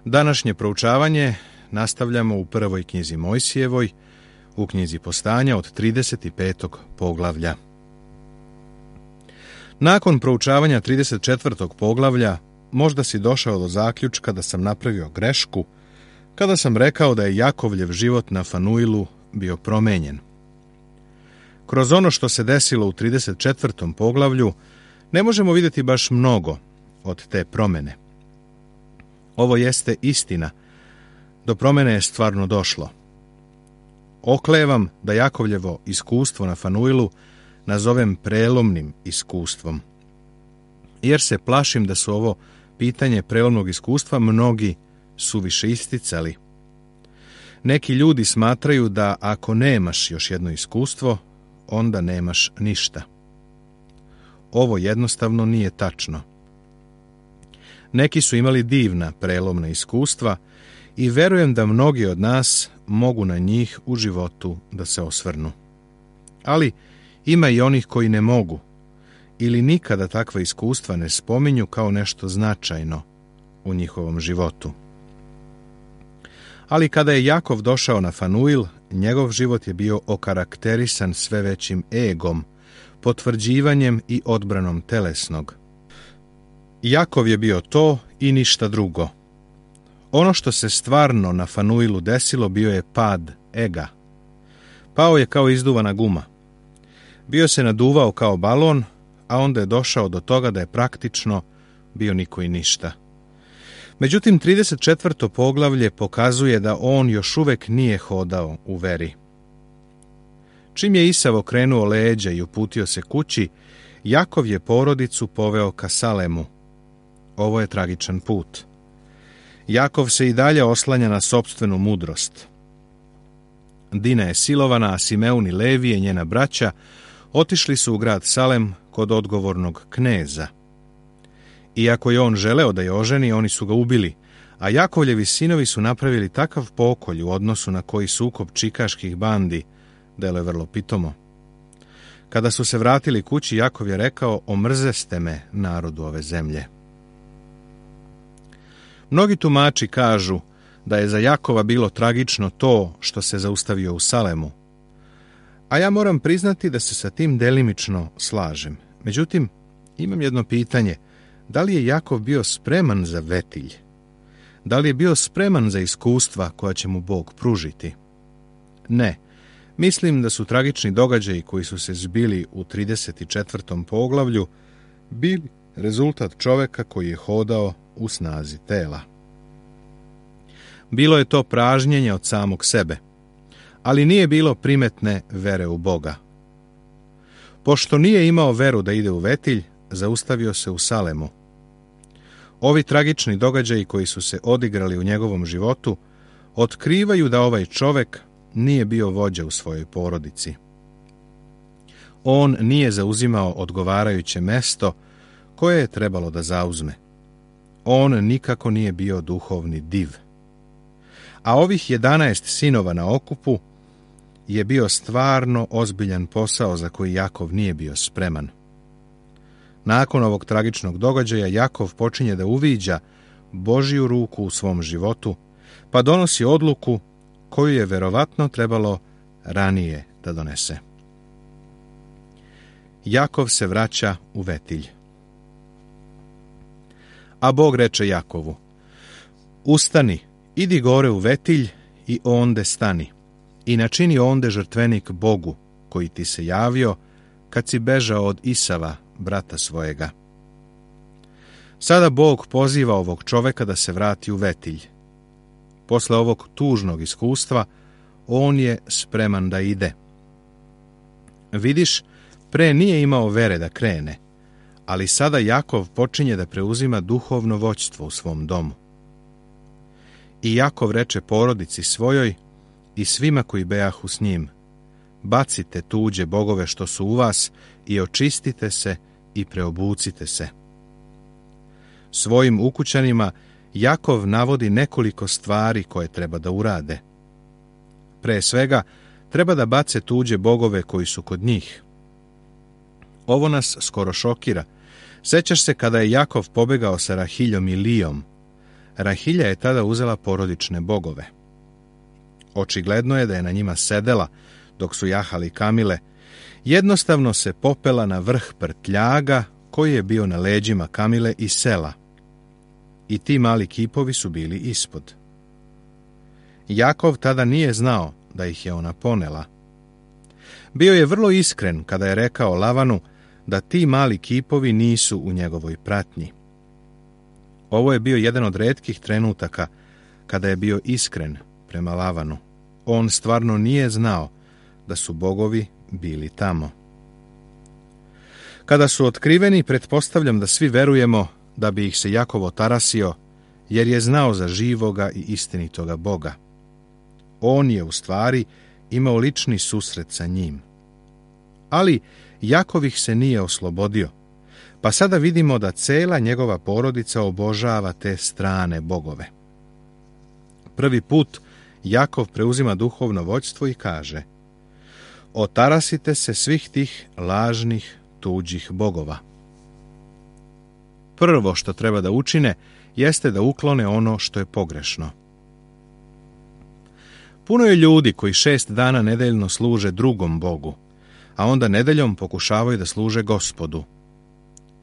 Današnje proučavanje nastavljamo u prvoj knjizi Mojsijevoj, u knjizi Postanja od 35. poglavlja. Nakon proučavanja 34. poglavlja možda si došao do zaključka da sam napravio grešku kada sam rekao da je Jakovljev život na Fanuilu bio promenjen. Kroz ono što se desilo u 34. poglavlju ne možemo vidjeti baš mnogo od te promene. Ovo jeste istina. Do promene je stvarno došlo. Oklevam da Jakovljevo iskustvo na Fanuilu nazovem prelomnim iskustvom, jer se plašim da su ovo pitanje prelomnog iskustva mnogi suviše isticali. Neki ljudi smatraju da ako nemaš još jedno iskustvo, onda nemaš ništa. Ovo jednostavno nije tačno. Neki su imali divna prelomna iskustva i verujem da mnogi od nas mogu na njih u životu da se osvrnu. Ali ima i onih koji ne mogu ili nikada takva iskustva ne spominju kao nešto značajno u njihovom životu. Ali kada je Jakov došao na Fanuil, njegov život je bio okarakterisan sve većim egom, potvrđivanjem i odbranom telesnog. Jakov je bio to i ništa drugo. Ono što se stvarno na Fanuilu desilo bio je pad ega. Pao je kao izduvana guma. Bio se naduvao kao balon, a onda je došao do toga da je praktično bio niko i ništa. Međutim, 34. poglavlje pokazuje da on još uvek nije hodao u veri. Čim je Isav okrenuo leđa i uputio se kući, Jakov je porodicu poveo ka Salemu. Ovo je tragičan put. Jakov se i dalje oslanja na sopstvenu mudrost. Dina je silovana, a Simeon i Levije, njena braća, otišli su u grad Salem kod odgovornog kneza. Iako je on želeo da je oženi, oni su ga ubili, a Jakovljevi sinovi su napravili takav pokolj u odnosu na koji sukob čikaških bandi deluje vrlo pitomo. Kada su se vratili kući, Jakov je rekao: omrzeste me, narodu ove zemlje. Mnogi tumači kažu da je za Jakova bilo tragično to što se zaustavio u Salemu, a ja moram priznati da se sa tim delimično slažem. Međutim, imam jedno pitanje: da li je Jakov bio spreman za vetilj? Da li je bio spreman za iskustva koja će mu Bog pružiti? Ne. Mislim da su tragični događaji koji su se zbili u 34. poglavlju bili rezultat čoveka koji je hodao u snazi tela. Bilo je to pražnjenje od samog sebe, ali nije bilo primetne vere u Boga. Pošto nije imao veru da ide u vetilj, zaustavio se u Salemu. Ovi tragični događaji koji su se odigrali u njegovom životu otkrivaju da ovaj čovek nije bio vođa u svojoj porodici. On nije zauzimao odgovarajuće mesto koje je trebalo da zauzme. On nikako nije bio duhovni div. A ovih 11 sinova na okupu je bio stvarno ozbiljan posao za koji Jakov nije bio spreman. Nakon ovog tragičnog događaja Jakov počinje da uviđa Božju ruku u svom životu, pa donosi odluku koju je verovatno trebalo ranije da donese. Jakov se vraća u vetilj. A Bog reče Jakovu: ustani, idi gore u vetilj i onde stani, i načini onde žrtvenik Bogu, koji ti se javio kad si bežao od Isava, brata svojega. Sada Bog poziva ovog čoveka da se vrati u vetilj. Posle ovog tužnog iskustva, on je spreman da ide. Vidiš, pre nije imao vere da krene, ali sada Jakov počinje da preuzima duhovno vođstvo u svom domu. I Jakov reče porodici svojoj i svima koji bejahu s njim: bacite tuđe bogove što su u vas i očistite se i preobucite se. Svojim ukućanima Jakov navodi nekoliko stvari koje treba da urade. Pre svega, treba da bace tuđe bogove koji su kod njih. Ovo nas skoro šokira. Sećaš se kada je Jakov pobegao sa Rahiljom i Lijom, Rahilja je tada uzela porodične bogove. Očigledno je da je na njima sedela dok su jahali kamile, jednostavno se popela na vrh prtljaga koji je bio na leđima kamile i sela. I ti mali kipovi su bili ispod. Jakov tada nije znao da ih je ona ponela. Bio je vrlo iskren kada je rekao Lavanu da ti mali kipovi nisu u njegovoj pratnji. Ovo je bio jedan od retkih trenutaka kada je bio iskren prema Lavanu. On stvarno nije znao da su bogovi bili tamo. Kada su otkriveni, pretpostavljam da svi verujemo da bi ih se Jakov otarasio, jer je znao za živoga i istinitoga Boga. On je u stvari imao lični susret sa njim. Ali Jakov ih se nije oslobodio, pa sada vidimo da cela njegova porodica obožava te strane bogove. Prvi put Jakov preuzima duhovno vođstvo i kaže: otarasite se svih tih lažnih tuđih bogova. Prvo što treba da učine jeste da uklone ono što je pogrešno. Puno je ljudi koji 6 dana nedeljno služe drugom Bogu, a onda nedeljom pokušavaju da služe Gospodu.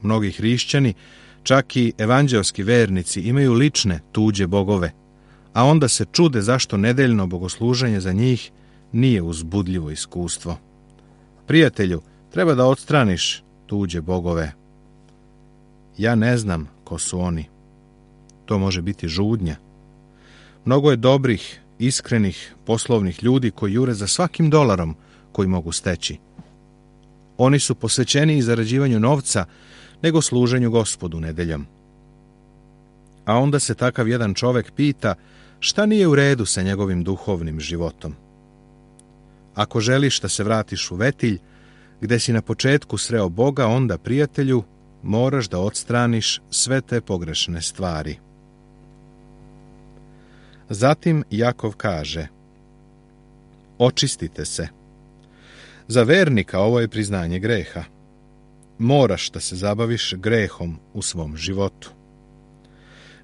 Mnogi hrišćani, čak i evanđelski vernici, imaju lične tuđe bogove, a onda se čude zašto nedeljno bogosluženje za njih nije uzbudljivo iskustvo. Prijatelju, treba da odstraniš tuđe bogove. Ja ne znam ko su oni. To može biti žudnja. Mnogo je dobrih, iskrenih, poslovnih ljudi koji jure za svakim dolarom koji mogu steći. Oni su posvećeni zarađivanju novca nego služenju Gospodu nedeljom. A onda se takav jedan čovek pita šta nije u redu sa njegovim duhovnim životom. Ako želiš da se vratiš u Vetilj, gde si na početku sreo Boga, onda, prijatelju, moraš da odstraniš sve te pogrešne stvari. Zatim Jakov kaže: očistite se. Za vernika ovo je priznanje greha. Moraš da se zabaviš grehom u svom životu.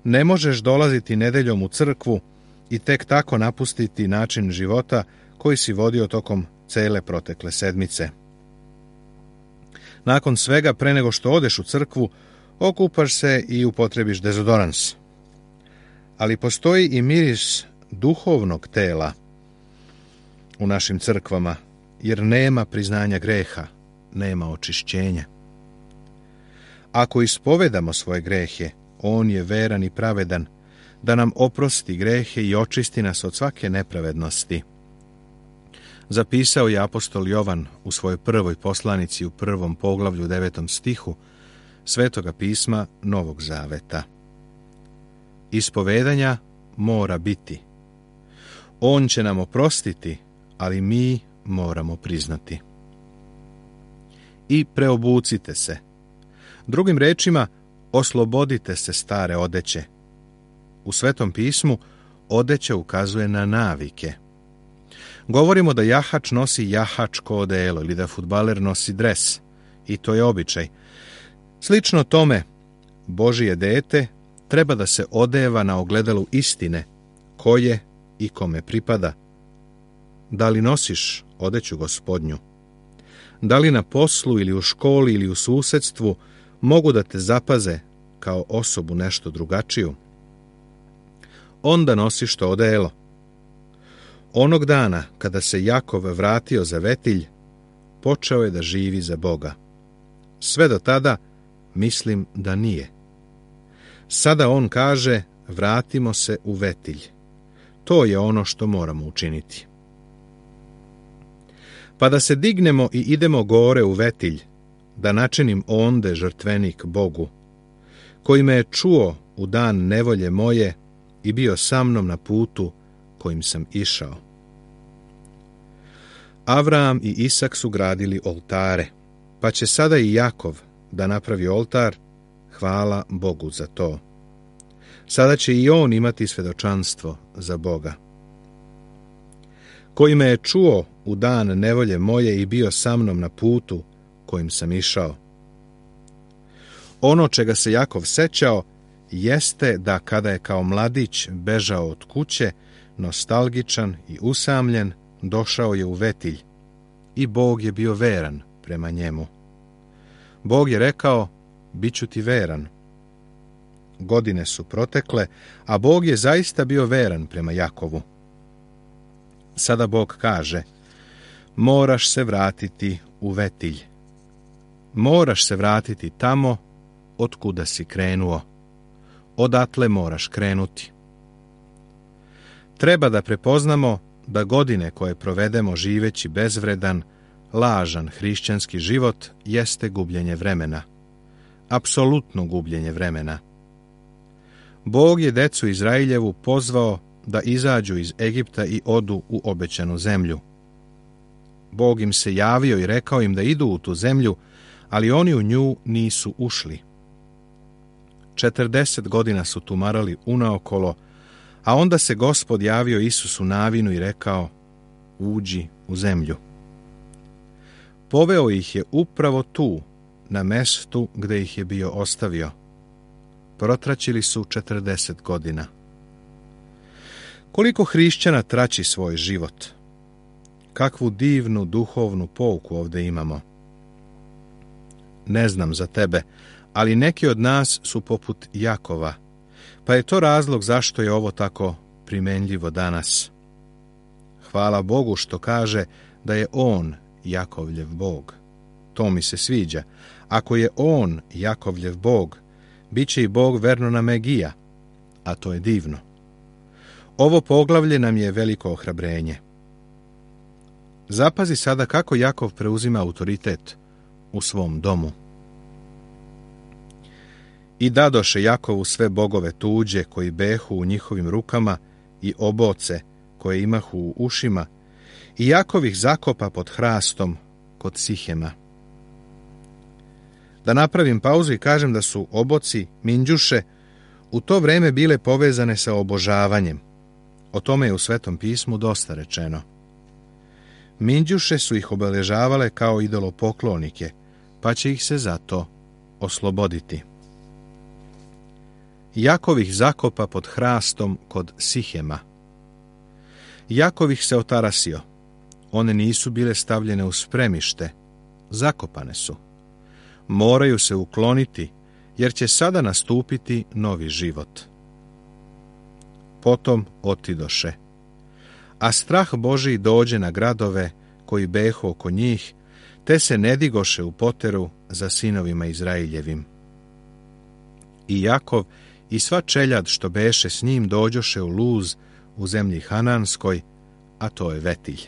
Ne možeš dolaziti nedeljom u crkvu i tek tako napustiti način života koji si vodio tokom cele protekle sedmice. Nakon svega, pre nego što odeš u crkvu, okupaš se i upotrebiš dezodorans. Ali postoji i miris duhovnog tela u našim crkvama, jer nema priznanja greha, nema očišćenja. Ako ispovedamo svoje grehe, on je veran i pravedan, da nam oprosti grehe i očisti nas od svake nepravednosti. Zapisao je apostol Jovan u svojoj prvoj poslanici u 1. poglavlju 9. stihu Svetoga pisma Novog Zaveta. Ispovedanja mora biti. On će nam oprostiti, ali mi moramo priznati. I preobucite se. Drugim rečima, oslobodite se stare odeće. U Svetom pismu odeća ukazuje na navike. Govorimo da jahač nosi jahačko odelo ili da fudbaler nosi dres. I to je običaj. Slično tome, Božije dete treba da se odeva na ogledalu istine, koje i kome pripada. Da li nosiš odeću Gospodnju? Da li na poslu ili u školi ili u susedstvu mogu da te zapaze kao osobu nešto drugačiju? Onda nosiš to odelo. Onog dana kada se Jakov vratio za Vetilj, počeo je da živi za Boga. Sve do tada mislim da nije. Sada on kaže: vratimo se u Vetilj. To je ono što moramo učiniti. Pa da se dignemo i idemo gore u Vetilj, da načinim onde žrtvenik Bogu, koji me je čuo u dan nevolje moje i bio sa mnom na putu kojim sam išao. Avram i Isak su gradili oltare, pa će sada i Jakov da napravi oltar. Hvala Bogu za to. Sada će i on imati svedočanstvo za Boga. Koji me je čuo u dan nevolje moje i bio sa mnom na putu kojim sam išao. Ono čega se Jakov sećao jeste da kada je kao mladić bežao od kuće, nostalgičan i usamljen, došao je u Vetilj i Bog je bio veran prema njemu. Bog je rekao, bit ću ti veran. Godine su protekle, a Bog je zaista bio veran prema Jakovu. Sada Bog kaže, moraš se vratiti u Vetilj. Moraš se vratiti tamo od kuda si krenuo. Odatle moraš krenuti. Treba da prepoznamo da godine koje provedemo živeći bezvredan, lažan hrišćanski život jeste gubljenje vremena. Apsolutno gubljenje vremena. Bog je decu Izrailjevu pozvao da izađu iz Egipta i odu u obećanu zemlju. Bog im se javio i rekao im da idu u tu zemlju, ali oni u nju nisu ušli. 40 godina su tumarali unaokolo, a onda se Gospod javio Isusu Navinu i rekao, uđi u zemlju. Poveo ih je upravo tu, na mestu gde ih je bio ostavio. Protraćili su 40 godina. Koliko hrišćana traći svoj život? Kakvu divnu duhovnu pouku ovdje imamo. Ne znam za tebe, ali neki od nas su poput Jakova, pa je to razlog zašto je ovo tako primenljivo danas. Hvala Bogu što kaže da je On Jakovljev Bog. To mi se sviđa. Ako je On Jakovljev Bog, bit će i Bog verno Megija, a to je divno. Ovo poglavlje nam je veliko ohrabrenje. Zapazi sada kako Jakov preuzima autoritet u svom domu. I dadoše Jakovu sve bogove tuđe koji behu u njihovim rukama i oboce koje imahu u ušima, i Jakov ih zakopa pod hrastom kod Sihema. Da napravim pauzu i kažem da su oboci, minđuše, u to vreme bile povezane sa obožavanjem. O tome je u Svetom pismu dosta rečeno. Minđuše su ih obeležavale kao idolopoklonike, pa će ih se zato osloboditi. Jakov ih zakopa pod hrastom kod Sihema. Jakov ih se otarasio. One nisu bile stavljene u spremište, zakopane su. Moraju se ukloniti, jer će sada nastupiti novi život. Potom otidoše. A strah Božiji dođe na gradove koji behu oko njih, te se ne digoše u poteru za sinovima Izraeljevim. I Jakov i sva čeljad što beše s njim dođoše u Luz u zemlji Hananskoj, a to je Vetilj.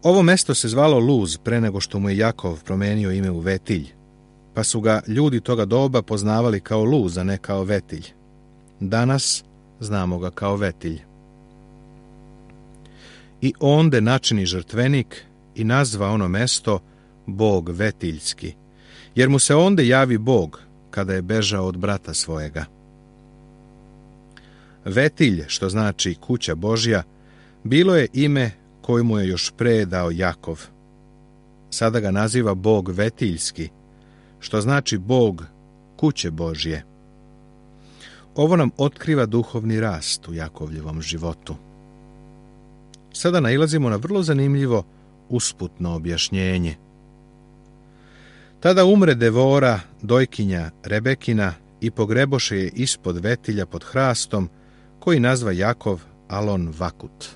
Ovo mesto se zvalo Luz pre nego što mu je Jakov promenio ime u Vetilj, pa su ga ljudi toga doba poznavali kao Luz, a ne kao Vetilj. Danas znamo ga kao Vetilj. I onde načini žrtvenik i nazva ono mesto Bog Vetiljski, jer mu se onde javi Bog kada je bežao od brata svojega. Vetilj, što znači kuća Božja, bilo je ime koje mu je još pre dao Jakov. Sada ga naziva Bog Vetiljski, što znači Bog kuće Božje. Ovo nam otkriva duhovni rast u Jakovljevom životu. Sada nailazimo na vrlo zanimljivo usputno objašnjenje. Tada umre Devora, dojkinja Rebekina, i pogreboše je ispod Vetilja pod hrastom, koji nazva Jakov Alon Vakut.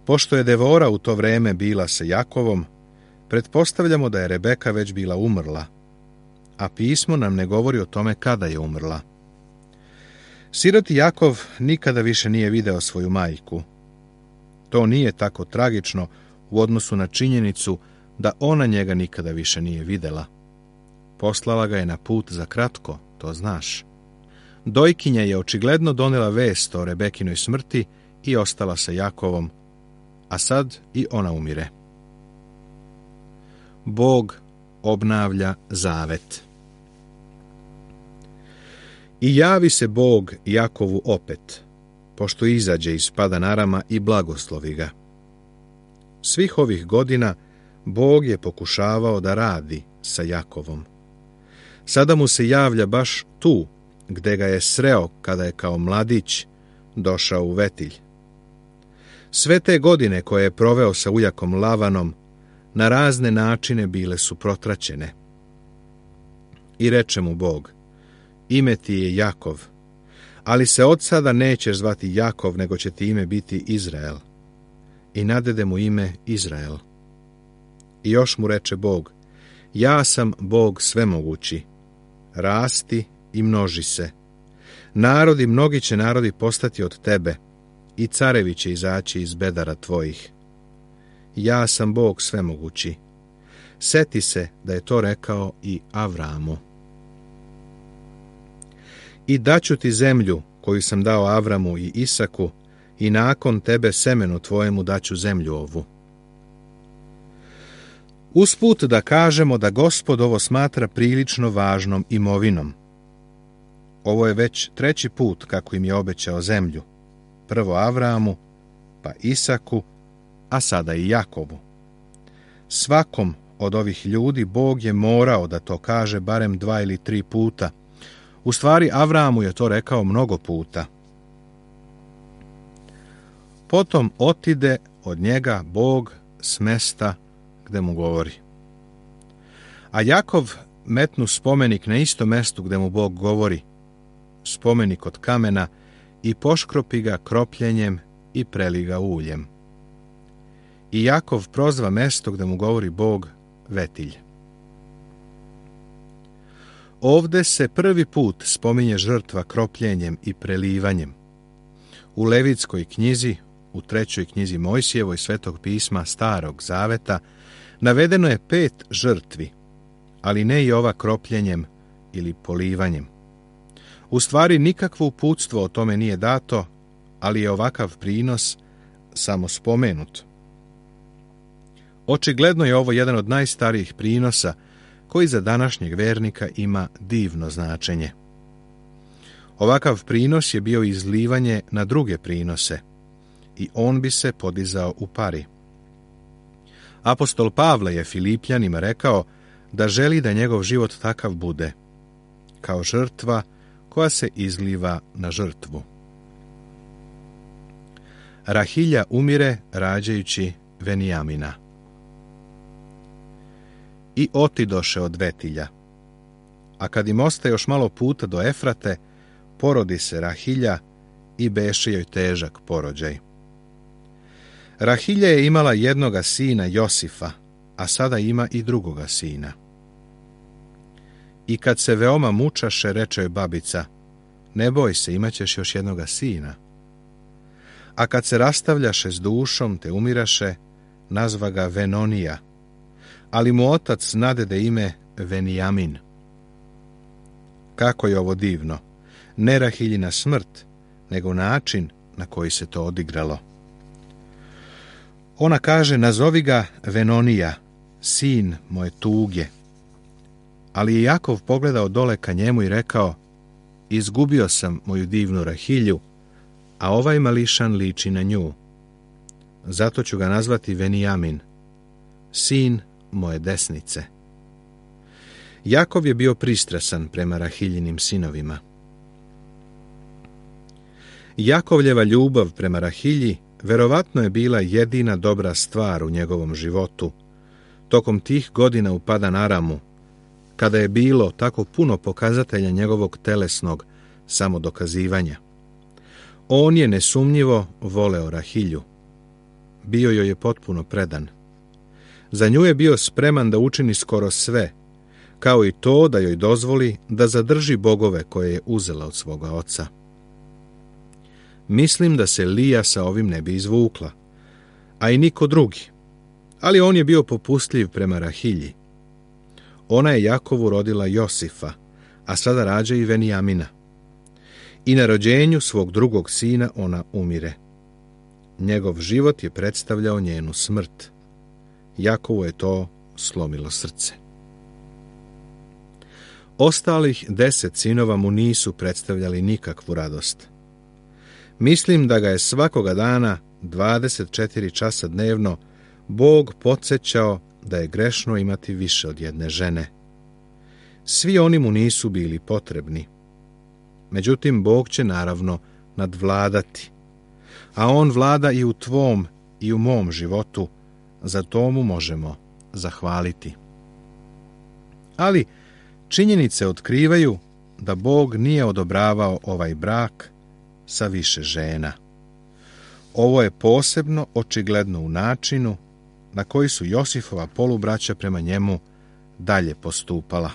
Pošto je Devora u to vreme bila sa Jakovom, pretpostavljamo da je Rebeka već bila umrla, a pismo nam ne govori o tome kada je umrla. Siroti Jakov nikada više nije video svoju majku. To nije tako tragično u odnosu na činjenicu da ona njega nikada više nije videla. Poslala ga je na put za kratko, to znaš. Dojkinja je očigledno donela vest o Rebekinoj smrti i ostala sa Jakovom, a sad i ona umire. Bog obnavlja zavet. I javi se Bog Jakovu opet, pošto izađe iz Padan Arama i blagoslovi ga. Svih ovih godina Bog je pokušavao da radi sa Jakovom. Sada mu se javlja baš tu, gde ga je sreo kada je kao mladić došao u Vetilj. Sve te godine koje je proveo sa ujakom Lavanom, na razne načine bile su protraćene. I reče mu Bog, ime ti je Jakov, ali se od sada nećeš zvati Jakov, nego će ti ime biti Izrael. I nadede mu ime Izrael. I još mu reče Bog, ja sam Bog svemogući, rasti i množi se. Narodi, mnogi će narodi postati od tebe, i carevi će izaći iz bedara tvojih. Ja sam Bog svemogući. Seti se da je to rekao i Avramu. I daću ti zemlju koju sam dao Avramu i Isaku, i nakon tebe semenu tvojemu daću zemlju ovu. Usput da kažemo da Gospod ovo smatra prilično važnom imovinom. Ovo je već 3. put kako im je obećao zemlju. Prvo Avramu, pa Isaku, a sada i Jakovu. Svakom od ovih ljudi Bog je morao da to kaže barem 2 ili 3 puta. U stvari, Avramu je to rekao mnogo puta. Potom otide od njega Bog s mesta gde mu govori. A Jakov metnu spomenik na isto mestu gde mu Bog govori, spomenik od kamena, i poškropi ga kropljenjem i preli ga uljem. I Jakov prozva mesto gde mu govori Bog Vetilj. Ovde se prvi put spominje žrtva kropljenjem i prelivanjem. U Levitskoj knjizi, u 3. knjizi Mojsijevoj Svetog pisma Starog zaveta, navedeno je 5 žrtvi, ali ne i ova kropljenjem ili polivanjem. U stvari nikakvo uputstvo o tome nije dato, ali je ovakav prinos samo spomenut. Očigledno je ovo jedan od najstarijih prinosa koji za današnjeg vernika ima divno značenje. Ovakav prinos je bio izlivanje na druge prinose i on bi se podizao u pari. Apostol Pavle je Filipljanima rekao da želi da njegov život takav bude, kao žrtva koja se izliva na žrtvu. Rahilja umire rađajući Venijamina. I otidoše od Vetilja. A kad im ostaje još malo puta do Efrate, porodi se Rahilja i beše joj težak porođaj. Rahilja je imala jednoga sina Josifa, a sada ima i drugoga sina. I kad se veoma mučaše, reče joj babica, ne boj se, imaćeš još jednoga sina. A kad se rastavljaše s dušom te umiraše, nazva ga Venonija, ali mu otac nadede ime Venijamin. Kako je ovo divno! Ne Rahiljina smrt, nego način na koji se to odigralo. Ona kaže, nazovi ga Venonija, sin moje tuge. Ali je Jakov pogledao dole ka njemu i rekao, izgubio sam moju divnu Rahilju, a ovaj mališan liči na nju. Zato ću ga nazvati Venijamin, sin moje desnice. Jakov je bio pristrasan prema Rahiljinim sinovima. Jakovljeva ljubav prema Rahilji verovatno je bila jedina dobra stvar u njegovom životu, tokom tih godina u Padan Aramu, kada je bilo tako puno pokazatelja njegovog telesnog samodokazivanja. On je nesumnjivo voleo Rahilju. Bio joj je potpuno predan. Za nju je bio spreman da učini skoro sve, kao i to da joj dozvoli da zadrži bogove koje je uzela od svoga oca. Mislim da se Lija sa ovim ne bi izvukla, a i niko drugi, ali on je bio popustljiv prema Rahilji. Ona je Jakovu rodila Josifa, a sada rađa i Venijamina. I na rođenju svog drugog sina ona umire. Njegov život je predstavljao njenu smrt. Jakovu je to slomilo srce. Ostalih 10 sinova mu nisu predstavljali nikakvu radost. Mislim da ga je svakoga dana, 24 časa dnevno, Bog podsjećao da je grešno imati više od jedne žene. Svi oni mu nisu bili potrebni. Međutim, Bog će naravno nadvladati. A on vlada i u tvom i u mom životu, za to mu možemo zahvaliti. Ali činjenice otkrivaju da Bog nije odobravao ovaj brak sa više žena. Ovo je posebno očigledno u načinu na koji su Josifova polubraća prema njemu dalje postupala.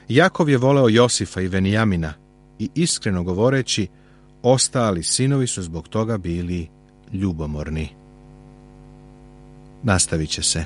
Jakov je voleo Josifa i Venijamina i iskreno govoreći, ostali sinovi su zbog toga bili ljubomorni. Nastavit će se.